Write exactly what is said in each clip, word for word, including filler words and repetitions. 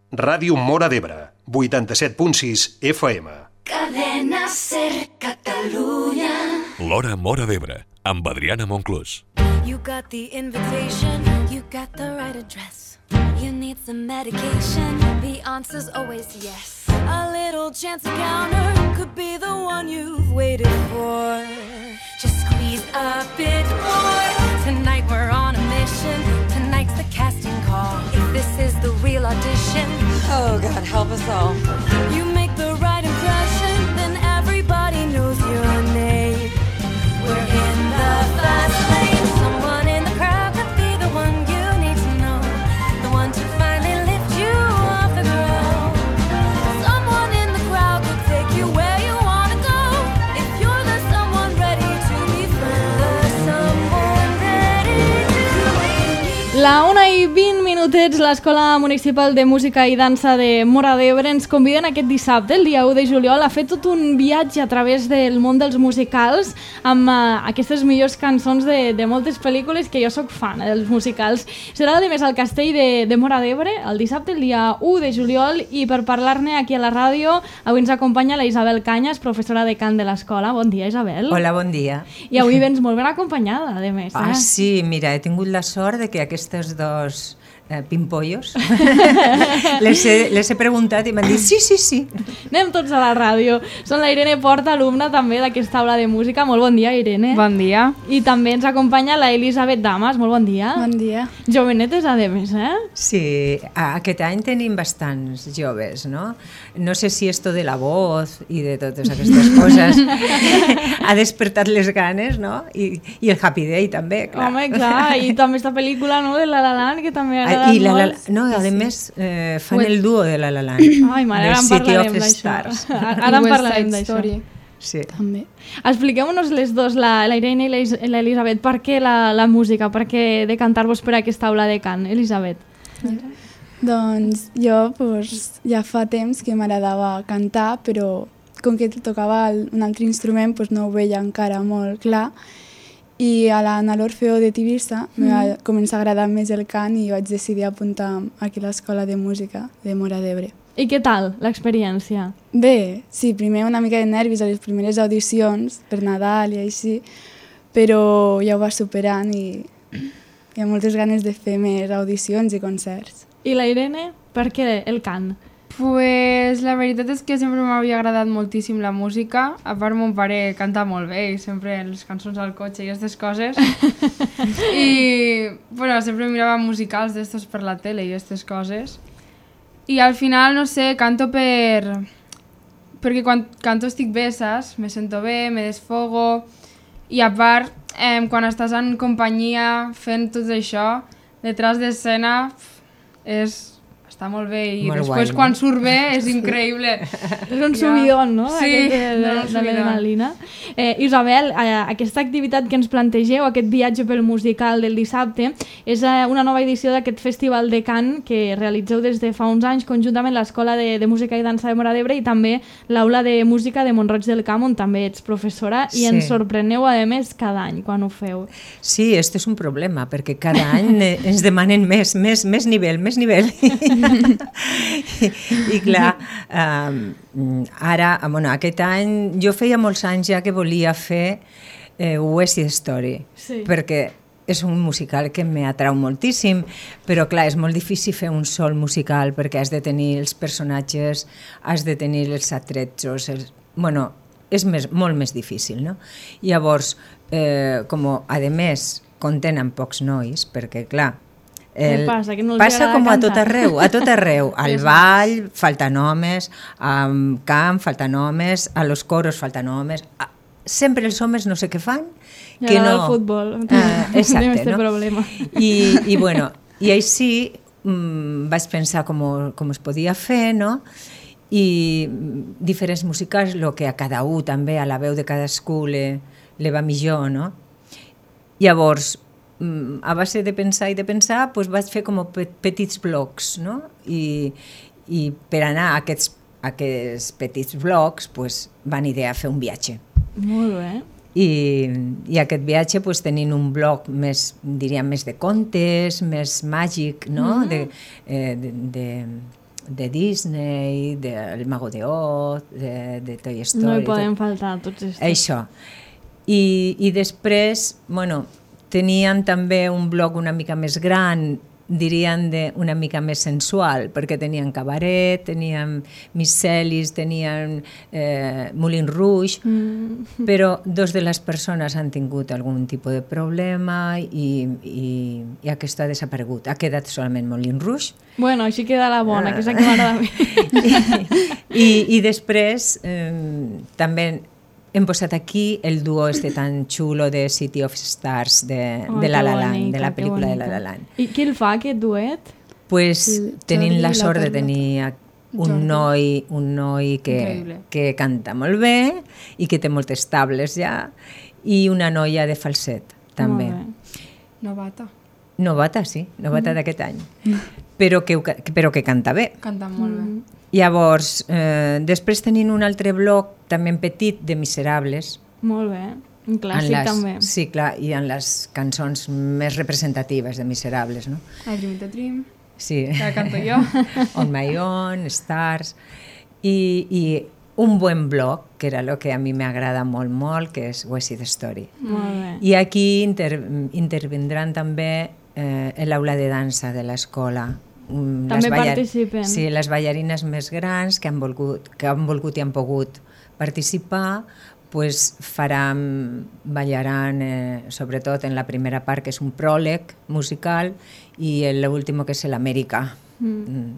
Ràdio Móra d'Ebre, vuitanta-set punt sis F M. Cadena Ser Catalunya. L'Hora Móra d'Ebre, amb Adriana Monclús. You got the invitation, you got the right address. You need some medication, the answer's always yes. A little chance encounter could be the one you've waited for. Just squeeze a bit more. Tonight we're on a mission, tonight's the casting call. If this is the real audition, oh God, help us all. You make the right impression, then everybody knows your name. We're in the fast lane. Someone in the crowd could be the one you need to know, the one to finally lift you off the ground. Someone in the crowd could take you where you want to go, if you're the someone ready to be found. The someone ready to be. La una i vint minutets, l'Escola Municipal de Música i Dansa de Móra d'Ebre ens conviden aquest dissabte, el dia u de juliol, a fer tot un viatge a través del món dels musicals amb uh, aquestes millors cançons de, de moltes pel·lícules que jo sóc fan, eh, dels musicals. Serà a més al Castell de, de Móra d'Ebre el dissabte, el dia u de juliol, i per parlar-ne aquí a la ràdio avui ens acompanya la Isabel Cañas, professora de cant de l'escola. Bon dia, Isabel. Hola, bon dia. I avui vens molt ben acompanyada, a més. Eh? Ah, sí, mira, he tingut la sort de que aquestes dos eh, pimpollos les, he, les he preguntat i m'han dit sí, sí, sí. Anem tots a la ràdio. Són la Irene Porta, alumna també d'aquesta aula de música. Molt bon dia, Irene. Bon dia. I també ens acompanya la Elisabet Damas. Molt bon dia. Bon dia. Jovenetes, a més, eh? Sí, aquest any tenim bastants joves, no? No sé si esto de la voz i de totes aquestes coses ha despertat les ganes, no? I, i el Happy Day també, clar. Home, clar, i també esta pel·lícula, no?, de La La Land, que també ha I la, la, no, a més eh, fan el duo de La La Land. Ai, mare, ara en parlarem d'això. Ara en parlarem d'això. Sí. També. Expliqueu-nos les dos, la, la Irene i l'Elisabet, per què la, la música, per què decantar-vos per aquesta aula de cant, Elisabet? Ja. Doncs jo pues, ja fa temps que m'agradava cantar, però com que tocava un altre instrument pues, no ho veia encara molt clar. I a l'Orfeo de Tivissa mm. m'ha començat a agradar més el cant i vaig decidir apuntar aquí a l'Escola de Música de Móra d'Ebre. I què tal l'experiència? Bé, sí, primer una mica de nervis a les primeres audicions per Nadal i així, però ja ho va superant i hi ha moltes ganes de fer més audicions i concerts. I la Irene, per què el cant? Pues la veritat és que sempre m'havia agradat moltíssim la música. A part, mon pare canta molt bé i sempre les cançons al cotxe i aquestes coses. I bueno, sempre mirava musicals d'estos per la tele i aquestes coses. I al final, no sé, canto per... perquè quan canto estic bé, saps? Me sento bé, me desfogo. I a part, eh, quan estàs en companyia fent tot això, detrás d'escena és... està molt bé i molt després guai, quan no? Surt bé és increïble. És un subidon, no? Sí, aquest de, de, de l'adrenalina. Eh, Isabel, eh, aquesta activitat que ens plantegeu, aquest viatge pel musical del dissabte, és eh, una nova edició d'aquest festival de cant que realitzeu des de fa uns anys conjuntament l'Escola de, de Música i Dansa de Móra d'Ebre i també l'Aula de Música de Mont-roig del Camp, on també ets professora, i sí. Ens sorpreneu, a més, cada any quan ho feu. Sí, este és un problema, perquè cada any ens demanen més, més, més nivell, més nivell. I, i clar, um, ara, bueno, aquest any, jo feia molts anys ja que volia fer eh, West Side Story, sí. Perquè és un musical que m'atrau moltíssim, però clar, és molt difícil fer un sol musical perquè has de tenir els personatges, has de tenir els atrezzos, els... bueno, és més, molt més difícil, no? Llavors, eh, com a més, compten amb pocs nois, perquè clar, El, passa, que no passa com a tot arreu, a tot arreu, al ball falten homes, al camp falten homes, a los coros falten homes, a, sempre els homes no sé què fan, I que no... el futbol, uh, exacte, este no? problema. I, i bueno, i així mm, vaig pensar com, com es podia fer, no? I diferents musicals, el que a cada un també, a la veu de cadascú le, le va millor, no? Llavors, a base de pensar i de pensar, doncs vaig fer com petits blocs, no? I, i per anar a aquests, a aquests petits blocs doncs, van idear fer un viatge. Molt bé. I, i aquest viatge doncs, tenint un bloc més, diríem, més de contes, més màgic, no? Mm-hmm. de, eh, de, de, de Disney, del Mago de Oz, de, de Toy Story... No hi poden tot. faltar tots estos. Això. I, I després, bueno, tenien també un blog una mica més gran, dirien de una mica més sensual, perquè tenien cabaret, tenien Miscelis, tenien eh, Moulin Rouge, mm. però dos de les persones han tingut algun tipus de problema i, i, i aquesta ha desaparegut. Ha quedat solament Moulin Rouge. Bueno, així queda la bona, que és la que m'agrada a mi. I, I després eh, també hem posat aquí el duo este tan xulo de City of Stars de, oh, de La La Land, bonica, de la pel·lícula de La La Land. I qui el fa, aquest duet? Pues Sí, tenim Jordi la i la sort de Carlota. tenir un Jordi. noi, un noi que, Increïble. que canta molt bé i que té moltes tables ja, i una noia de falset, també. Molt bé. Novata. Novata, sí, novata mm. d'aquest any. Però que, ho ca- però que canta bé. Canta molt bé. Llavors, eh, després tenim un altre bloc, també en petit, de Miserables. Molt bé. Un en clàssic les, també. Sí, clar, i en les cançons més representatives de Miserables, no? I Dream the Dream, Sí. que canto jo. On My Own, Stars, i, i un buen bloc, que era el que a mi m'agrada molt, molt, que és West Side Story. Molt bé. I aquí inter, intervindran també eh, l'aula de dansa de l'escola. Mm, les També ballar- participen. Sí, les ballarines més grans que han volgut, que han volgut i han pogut participar, pues faran, ballaran, eh, sobretot en la primera part, que és un pròleg musical, i l'últim, que és l'Amèrica. Mm. Mm.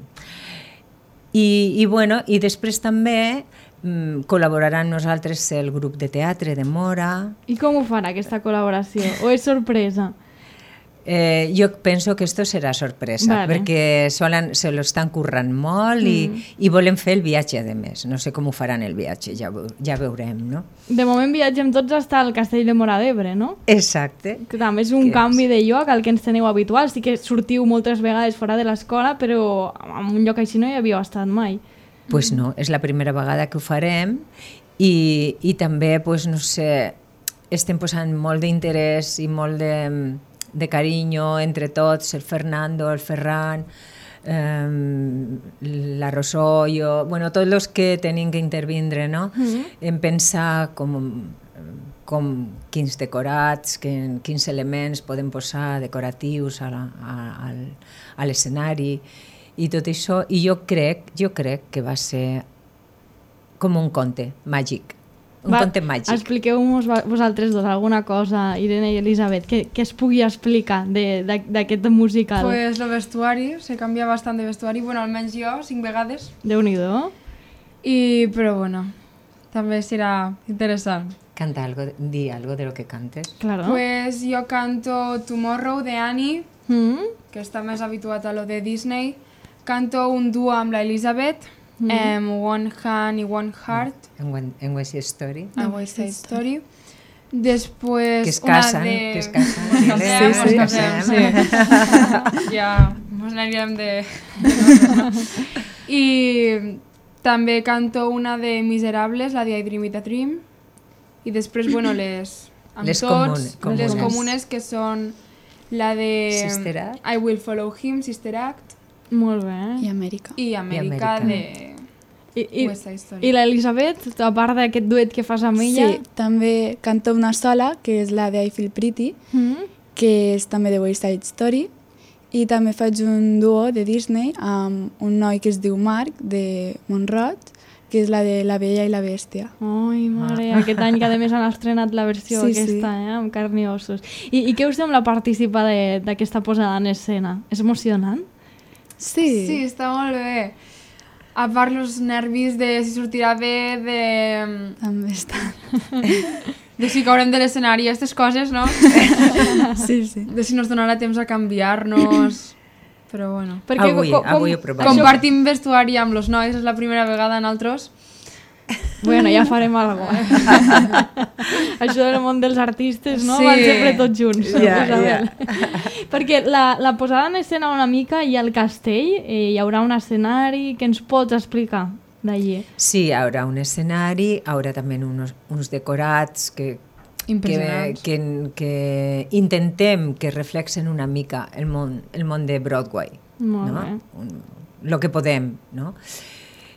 I, i, bueno, i després també mm, col·laboraran nosaltres el grup de teatre de Mora. I com ho farà aquesta col·laboració? O és sorpresa? Eh, jo penso que esto serà sorpresa, Vale. perquè solen, se lo estan currant molt i, Mm. i volen fer el viatge, a més. No sé com ho faran el viatge, ja, veu- ja veurem, no? De moment viatgem tots fins al castell de Móra d'Ebre, no? Exacte. Que també és un Que canvi de lloc al que ens teniu habituals. Sí que sortiu moltes vegades fora de l'escola, però en un lloc així no hi havíeu estat mai. Pues no, és la primera vegada que ho farem i, i també, pues, no sé, estem posant molt d'interès i molt de, de carinyo entre tots, el Fernando, el Ferran, eh, la Rosó, jo, bueno, tots els que tenim que intervindre, no? Mm-hmm. En pensar com, com quins decorats, que, quins elements podem posar decoratius a, la, a, al, a l'escenari i tot això, i jo crec, jo crec que va ser com un conte màgic, un Va, conte màgic. Expliqueu-nos vosaltres dos alguna cosa, Irene i Elisabet, que, que es pugui explicar de- de- d'aquest musical. Pues el vestuari, se canvia bastant de vestuari, bueno, almenys jo, cinc vegades, Déu-n'hi-do. i, però bueno, també serà interessant. Canta algo, di algo de lo que cantes. Claro. Pues jo canto Tomorrow de Annie, Mm? que està més habituat a lo de Disney, canto un duo amb la Elisabet, mm. um, One Hand i One Heart, En, Wen- en West Side Story. a West Side Story. Després Que es una casen, de... que es casen. Mos casem, Sí, mos sí. casem, sí. Ja, mos anirem de... I també canto una de Miserables, la de I Dream It a Dream. I després, bueno, les... Amb Les tots, comun- les comunes. comunes, que són la de Sister Act. I Will Follow Him, Sister Act, Molt bé. I Amèrica. i Amèrica, Amèrica. de I, i, West Side Story. i l'Elisabet, a part d'aquest duet que fas amb ella... Sí, també canto una sola, que és la de I Feel Pretty, Mm? que és també de West Side Story, i també faig un duo de Disney amb un noi que es diu Marc, de Montroig, que és la de La Bella i la Bèstia. Ai, mare, aquest any que a més han estrenat la versió Sí, sí. aquesta, eh, amb carn i ossos. I, I què us sembla participar de- d'aquesta posada en escena? És emocionant? Sí, Sí, està molt bé. A part els nervis de si sortirà bé, de, també està. de si caurem de l'escenari, aquestes coses, no? Sí, sí. De si nos donarà temps a canviar-nos... Però bueno. Avui, avui ho provarem. Compartim vestuari amb els nois, és la primera vegada en altres. Bueno, ja farem alguna cosa. Això del món dels artistes, no? Sí. Van sempre tots junts. Ja, Isabel. Perquè la, la posada en escena una mica i al castell eh, hi haurà un escenari que ens pots explicar d'allí. Sí, hi haurà un escenari, hi haurà també uns, uns decorats que, que, Impressionants. que, que intentem que reflexen una mica el món, el món de Broadway. Molt no? bé. Un, el que podem, no?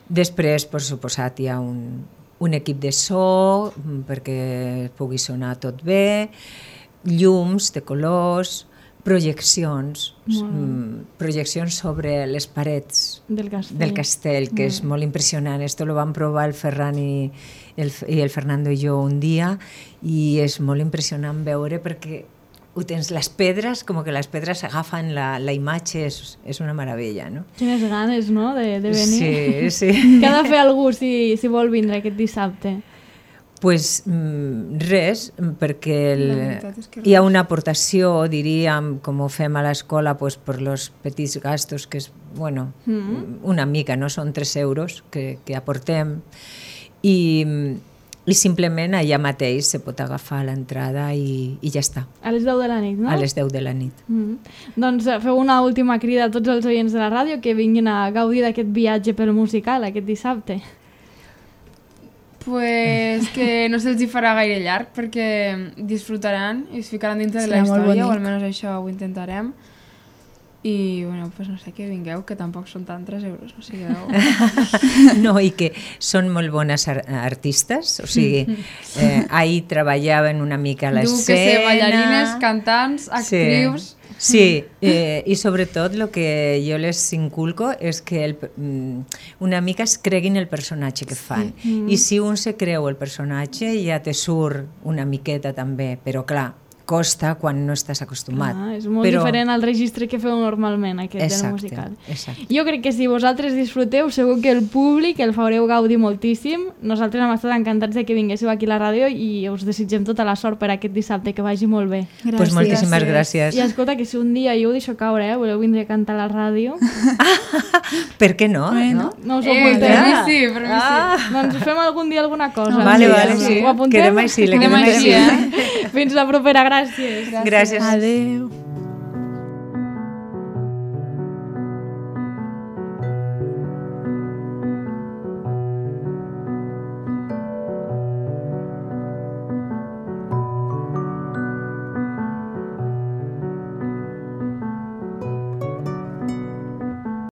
Després, per suposat, hi ha un, un equip de so perquè pugui sonar tot bé, llums de colors, projeccions, mm, projeccions sobre les parets del castell, del castell que és molt impressionant. Esto lo van provar el Ferran i el, i el Fernando i jo un dia i és molt impressionant veure perquè ho tens, les pedres, com que les pedres agafen la, la imatge, és, és una meravella, no? Quines ganes, no?, de, de venir. Sí, sí. Què ha de fer algú si, si vol vindre aquest dissabte? Pues mm, res, perquè el, hi ha una aportació, diríem, com ho fem a l'escola, pues, per els petits gastos, que és, bueno, mm. una mica, no? Són tres euros que, que aportem, i, i simplement allà mateix se pot agafar l'entrada i, i ja està. A les deu de la nit, no? A les deu de la nit. Mm. Doncs feu una última crida a tots els oients de la ràdio que vinguin a gaudir d'aquest viatge pel musical aquest dissabte. Pues que no se'ls hi farà gaire llarg perquè disfrutaran i es ficaran dintre de la Serà molt història, o bonic. almenys això ho intentarem. I, bueno, pues no sé, que vingueu, que tampoc són tant tres euros, no sé, que No, i que són molt bones ar artistes, o sigui, eh, ahir treballaven una mica a l'escena. Diu que ser ballarines, cantants, actrius... Sí, sí eh, i sobretot el que jo les inculco és que el, una mica es creguin el personatge que fan. Sí. I si un se creu el personatge ja te surt una miqueta també, però clar, costa quan no estàs acostumat. Ah, és molt però... diferent al registre que feu normalment, aquest exacte, del musical. Exacte. Jo crec que si vosaltres disfruteu, segur que el públic el fareu gaudir moltíssim. Nosaltres hem estat encantats de que vinguéssiu aquí a la ràdio i us desitgem tota la sort per aquest dissabte, que vagi molt bé. Gràcies. Pues moltíssimes gràcies. I escolta, que si un dia jo ho deixo caure, eh, voleu vindre a cantar a la ràdio... Per què no? Bueno. No us ho Eh, apunteu? per mi sí, per mi sí. Ah. Doncs fem algun dia alguna cosa. Vale, vale, Doncs sí. Ho apuntem? Quedem així, le Quedem quedem així, així. eh? Fins la propera, gràcies. Gràcies. Adeu.